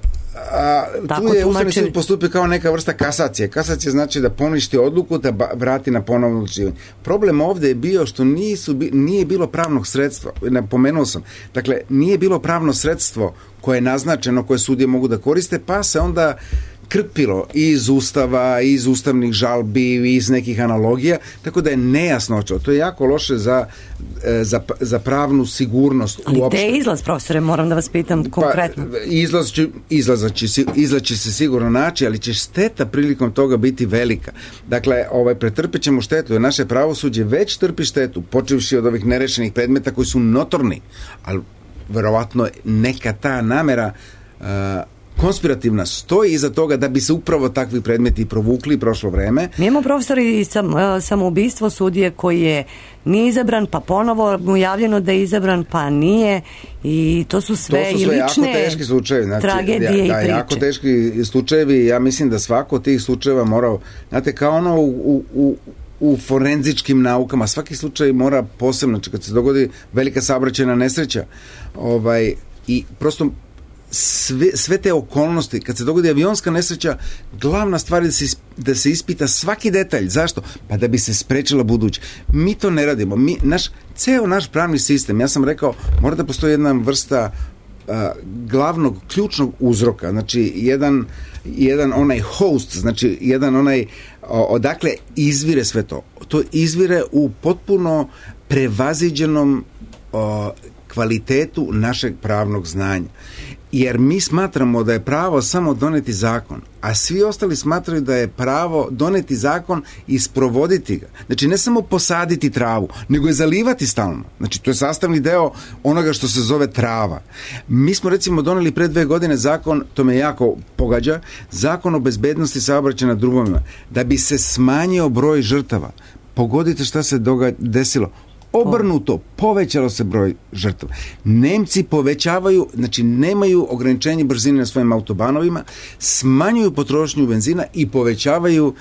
F: tu je Ustavni sud postupio kao neka vrsta kasacije. Kasacija znači da poništi odluku da vrati na ponovno odlučivanje. Problem ovde je bio što nije bilo pravnog sredstva. Napomenuo sam. Dakle, nije bilo pravno sredstvo koje je naznačeno, koje sudije mogu da koriste, pa se onda krpilo iz ustava, iz ustavnih žalbi, iz nekih analogija, tako da je nejasnoća. To je jako loše za pravnu sigurnost.
D: Ali gde je izlaz, profesore, moram da vas pitam konkretno?
F: Izlaz će se sigurno naći, ali će šteta prilikom toga biti velika. Dakle, pretrpet ćemo štetu, jer naše pravosuđe već trpi štetu, počevši od ovih nerešenih predmeta koji su notorni, ali verovatno neka ta namera konspirativna stoji iza toga da bi se upravo takvi predmeti provukli prošlo vreme.
D: Mi imamo, profesori, samoubistvo sudije koji je nije izabran, pa ponovo mu javljeno da je izabran, pa nije, i to su sve i lične
F: jako teški slučajevi, znači,
D: tragedije i priče.
F: Jako teški slučajevi, ja mislim da svako od tih slučajeva mora, znate, kao ono u forenzičkim naukama, svaki slučaj mora posebno, znači kad se dogodi velika saobraćajna nesreća, i prosto sve te okolnosti, kad se dogodi avionska nesreća, glavna stvar je da se ispita svaki detalj. Zašto? Pa da bi se sprečila buduće. Mi to ne radimo. Ceo naš pravni sistem, ja sam rekao, mora da postoji jedna vrsta glavnog, ključnog uzroka, znači jedan onaj host, znači jedan onaj odakle izvire sve to. To izvire u potpuno prevaziđenom kvalitetu našeg pravnog znanja. Jer mi smatramo da je pravo samo doneti zakon, a svi ostali smatraju da je pravo doneti zakon i sprovoditi ga. Znači, ne samo posaditi travu, nego je zalivati stalno. Znači, to je sastavni deo onoga što se zove trava. Mi smo, recimo, doneli pre 2 godine zakon, to me jako pogađa, zakon o bezbednosti saobraćaja na drumovima, da bi se smanjio broj žrtava. Pogodite šta se desilo. Obrnuto, povećalo se broj žrtava. Nemci povećavaju, znači nemaju ograničenje brzine na svojim autobanovima, smanjuju potrošnju benzina i povećavaju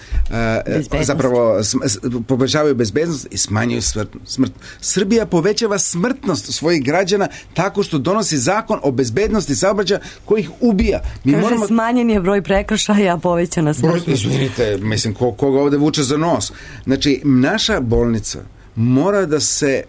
F: povećavaju bezbednost i smanjuju smrt. Srbija povećava smrtnost svojih građana tako što donosi zakon o bezbednosti saobraćaja koji ih ubija.
D: Smanjen je broj prekršaja, povećana smrtnost.
F: Izvinite, mislim, koga ovde vuče za nos? Znači, naša bolnica mora da se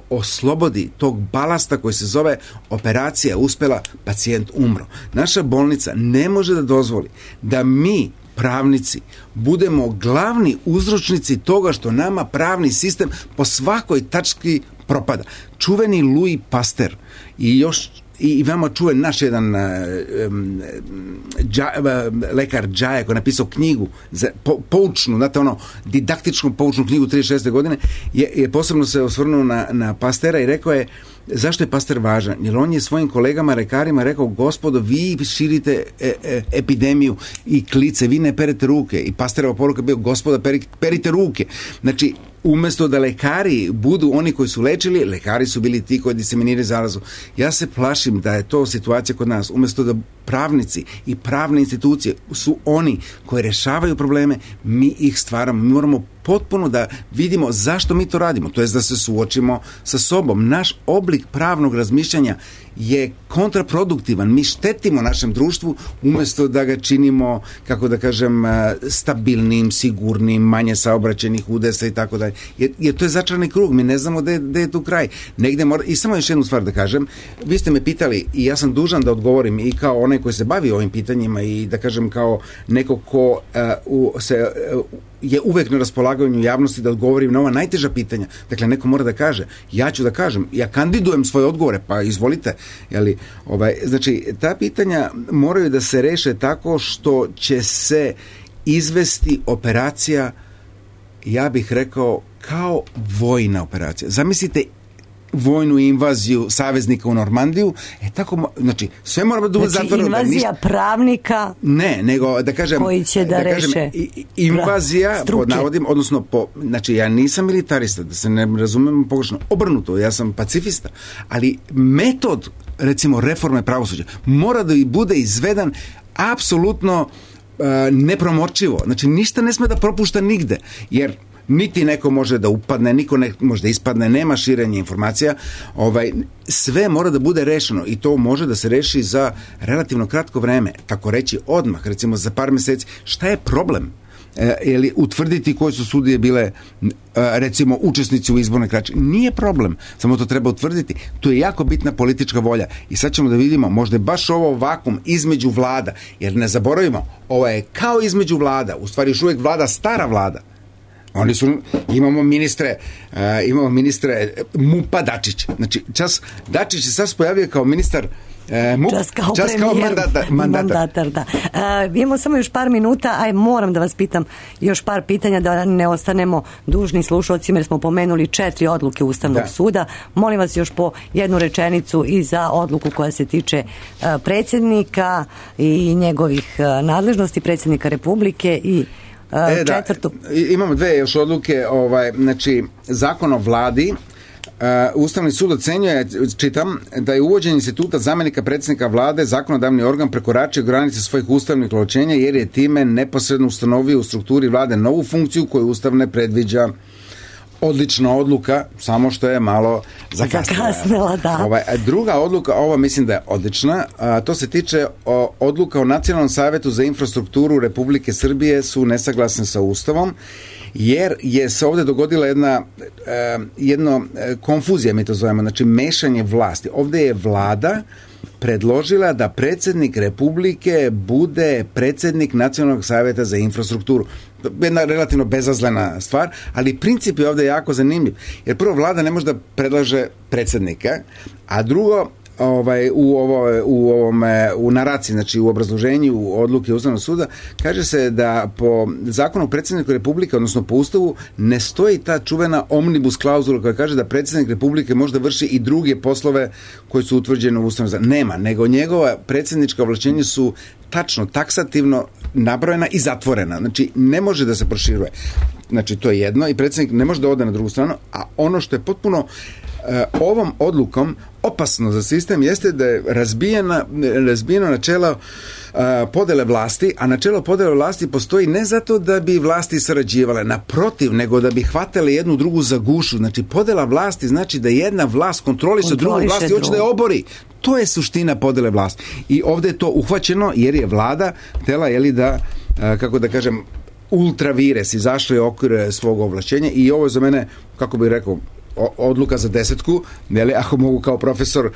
F: oslobodi tog balasta koji se zove operacija uspela, pacijent umro. Naša bolnica ne može da dozvoli da mi, pravnici, budemo glavni uzročnici toga što nama pravni sistem po svakoj tački propada. Čuveni Louis Pasteur i veoma čuven naš jedan lekar Džaja koji je napisao knjigu poučnu, znate didaktičnu poučnu knjigu 36. godine, je posebno se osvrnuo na Pasteura i rekao je zašto je Pasteur važan? Jer on je svojim kolegama lekarima rekao, gospodo, vi širite epidemiju i klice, vi ne perete ruke. I Pasteurova poruka bio, gospoda, perite ruke. Znači, umesto da lekari budu oni koji su lečili, lekari su bili ti koji diseminiraju zarazu. Ja se plašim da je to situacija kod nas. Umesto da pravnici i pravne institucije su oni koji rešavaju probleme, mi ih stvaramo. Mi moramo potpuno da vidimo zašto mi to radimo, to jest da se suočimo sa sobom. Naš oblik pravnog razmišljanja je kontraproduktivan. Mi štetimo našem društvu umesto da ga činimo, kako da kažem, stabilnim, sigurnim, manje saobraćenih udesa i tako dalje. Jer to je začarani krug, mi ne znamo gde je tu kraj. Negde mora... I samo još jednu stvar da kažem, vi ste me pitali i ja sam dužan da odgovorim i kao onaj koji se bavi ovim pitanjima i da kažem kao neko ko je uvek na raspolaganju javnosti da odgovorim na ova najteža pitanja. Dakle, neko mora da kaže, ja ću da kažem, ja kandidujem svoje odgovore, pa izvolite. Znači, ta pitanja moraju da se reše tako što će se izvesti operacija, ja bih rekao, kao vojna operacija. Zamislite vojnu invaziju saveznika u Normandiju, tako, znači, sve mora da bude zatvoreno.
D: Znači, invazija pravnika
F: ne, nego da kažem
D: koji će da reše
F: invazija, pod navodim, odnosno znači, ja nisam militarista, da se ne razumemo pogrešno, obrnuto, ja sam pacifista, ali metod, recimo, reforme pravosuđa mora da bude izvedan apsolutno nepromorčivo. Znači, ništa ne sme da propušta nigde, jer niti neko može da upadne, niko ne može da ispadne, nema širenja informacija, sve mora da bude rešeno i to može da se reši za relativno kratko vreme, tako reći odmah, recimo za par meseci. Šta je problem? Ili utvrditi koje su sudije bile, recimo, učesnici u izbornoj krađi. Nije problem, samo to treba utvrditi. To je jako bitna politička volja i sad ćemo da vidimo, možda je baš ovo vakum između vlada, jer ne zaboravimo, ovo je kao između vlada, u stvari još uvijek vlada stara vlada. Imamo ministre MUP-a Dačić. Znači, Dačić se sad pojavio kao ministar MUP, čas kao mandatar.
D: Da. Imamo samo još par minuta, moram da vas pitam još par pitanja da ne ostanemo dužni slušalcima jer smo pomenuli 4 odluke Ustavnog suda. Molim vas još po jednu rečenicu i za odluku koja se tiče predsjednika i njegovih nadležnosti, predsjednika Republike i četvrtu.
F: Imamo 2 još odluke, znači Zakon o vladi. Ustavni sud ocenjuje, čitam, da je uvođenje instituta zamenika predsjednika vlade zakonodavni organ prekoračio granice svojih ustavnih ovlašćenja jer je time neposredno ustanovio u strukturi vlade novu funkciju koju Ustav ne predviđa. Odlična odluka, samo što je malo zakasnila.
D: Da.
F: Druga odluka, ova mislim da je odlična, to se tiče odluka o Nacionalnom savjetu za infrastrukturu Republike Srbije su nesaglasne sa Ustavom, jer je se ovdje dogodila jedna konfuzija, mi to zovemo, znači mešanje vlasti. Ovdje je vlada predložila da predsjednik Republike bude predsjednik Nacionalnog savjeta za infrastrukturu. Jedna relativno bezazlena stvar, ali princip je ovdje jako zanimljiv. Jer prvo, vlada ne može da predlaže predsjednika, a drugo, u naraciji, znači u obrazloženju odluke Ustavnog suda, kaže se da po zakonu o predsjedniku Republike, odnosno po Ustavu, ne stoji ta čuvena omnibus klauzula koja kaže da predsjednik Republike može da vrši i druge poslove koji su utvrđeni u Ustavnom zakonu. Nema, nego njegova predsjednička ovlašćenja su tačno, taksativno nabrojena i zatvorena. Znači, ne može da se proširuje. Znači, to je jedno i predsjednik ne može da ode na drugu stranu, a ono što je potpuno ovom odlukom opasno za sistem jeste da je razbijeno načelo podele vlasti, a načelo podele vlasti postoji ne zato da bi vlasti sarađivale, naprotiv, nego da bi hvatale jednu drugu za gušu. Znači, podela vlasti znači da jedna vlast kontroliše drugu vlast i hoće da je obori. To je suština podele vlasti. I ovdje je to uhvaćeno jer je vlada htjela, da, kako da kažem, ultra vires, izašli u okvir svog ovlašćenja i ovo je za mene, kako bih rekao, odluka za 10, ako mogu kao profesor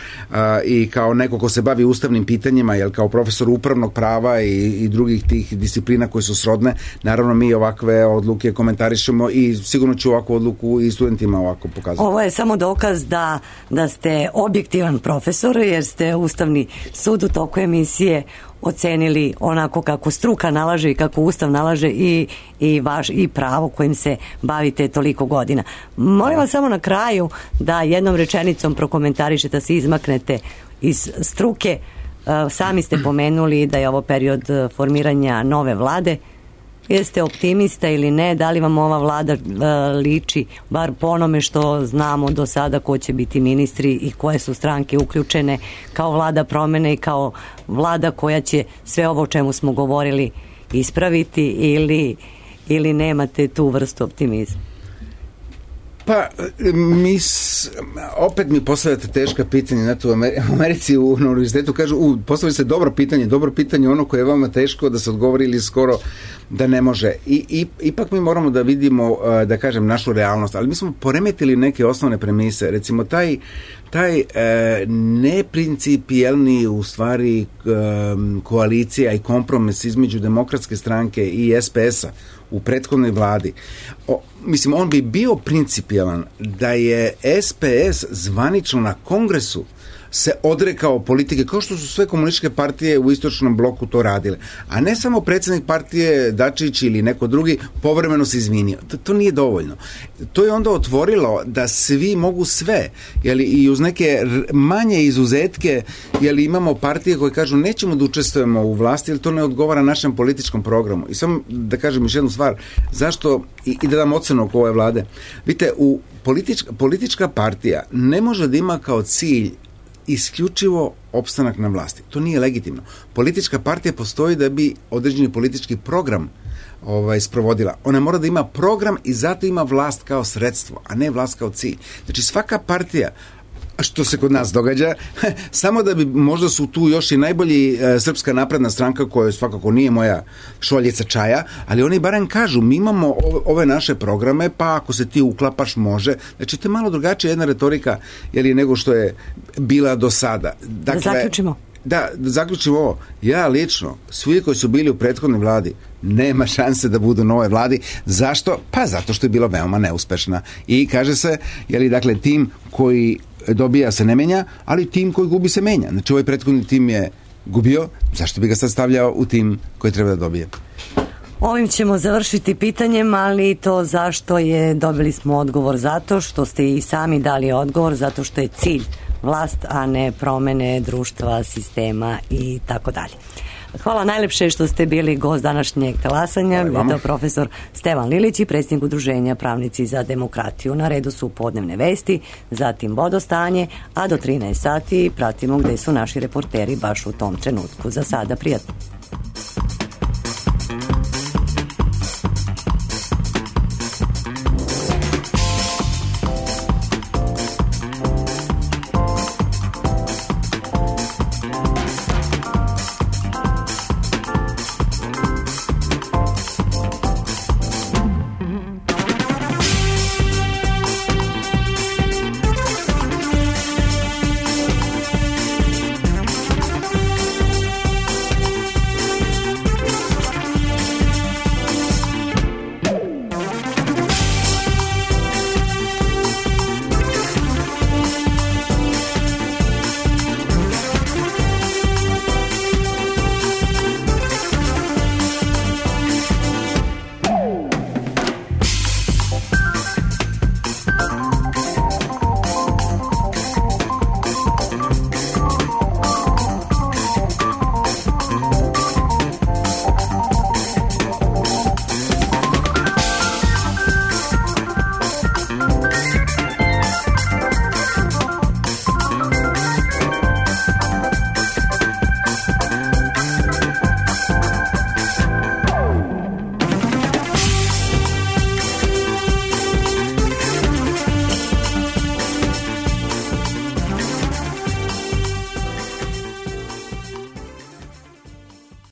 F: i kao neko ko se bavi ustavnim pitanjima, jel kao profesor upravnog prava i drugih tih disciplina koje su srodne, naravno mi ovakve odluke komentarišemo i sigurno ću ovakvu odluku i studentima ovako pokazati.
D: Ovo je samo dokaz da ste objektivan profesor, jer ste Ustavni sud u toku emisije ocenili onako kako struka nalaže i kako Ustav nalaže i pravo kojim se bavite toliko godina. Molim vas samo na kraju da jednom rečenicom prokomentarišete, da se izmaknete iz struke. Sami ste pomenuli da je ovo period formiranja nove vlade. Jeste optimista ili ne? Da li vam ova vlada liči, bar po onome što znamo do sada, ko će biti ministri i koje su stranke uključene, kao vlada promene i kao vlada koja će sve ovo o čemu smo govorili ispraviti, ili nemate tu vrstu optimizma?
F: Pa, opet mi postavljate teška pitanja. Znate, u Americi na univerzitetu kažu, postavili ste dobro pitanje, ono koje je vama teško da se odgovori ili skoro da ne može. Ipak mi moramo da vidimo, da kažem, našu realnost, ali mi smo poremetili neke osnovne premise. Recimo, taj neprincipijelni u stvari koalicija i kompromis između Demokratske stranke i SPS-a u prethodnoj vladi. On bi bio principijelan da je SPS zvanično na kongresu se odrekao politike, kao što su sve komunističke partije u istočnom bloku to radile. A ne samo predsjednik partije Dačić ili neko drugi povremeno se izvinio. To nije dovoljno. To je onda otvorilo da svi mogu sve, i uz neke manje izuzetke, imamo partije koje kažu nećemo da učestvujemo u vlasti, jer to ne odgovara našem političkom programu. I samo da kažem još jednu stvar, zašto, i da dam ocenu oko ove vlade. Vidite, politička partija ne može da ima kao cilj isključivo opstanak na vlasti. To nije legitimno. Politička partija postoji da bi određeni politički program sprovodila. Ona mora da ima program i zato ima vlast kao sredstvo, a ne vlast kao cilj. Znači svaka partija, što se kod nas događa, samo da bi, možda su tu još i najbolji Srpska napredna stranka, koja svakako nije moja šoljica čaja, ali oni barem kažu, mi imamo ove naše programe, pa ako se ti uklapaš može. Znači to je malo drugačija jedna retorika nego što je bila do sada. Dakle,
D: da zaključimo.
F: Da zaključimo ovo. Ja lično, svi koji su bili u prethodnoj vladi, nema šanse da budu u novoj vladi. Zašto? Pa zato što je bila veoma neuspešna. I kaže se, dakle, tim koji dobija se ne menja, ali tim koji gubi se menja. Znači ovaj prethodni tim je gubio, zašto bi ga sad stavljao u tim koji treba da dobije?
D: Ovim ćemo završiti pitanjem, ali to zašto je, dobili smo odgovor zato što ste i sami dali odgovor, zato što je cilj vlast, a ne promene društva, sistema i tako dalje. Hvala najlepše što ste bili gost današnjeg talasanja. Bio je profesor Stevan Lilić i predsjednik Udruženja Pravnici za demokratiju. Na redu su podnevne vesti, zatim vodostanje, a do 13 sati pratimo gde su naši reporteri baš u tom trenutku. Za sada prijatno.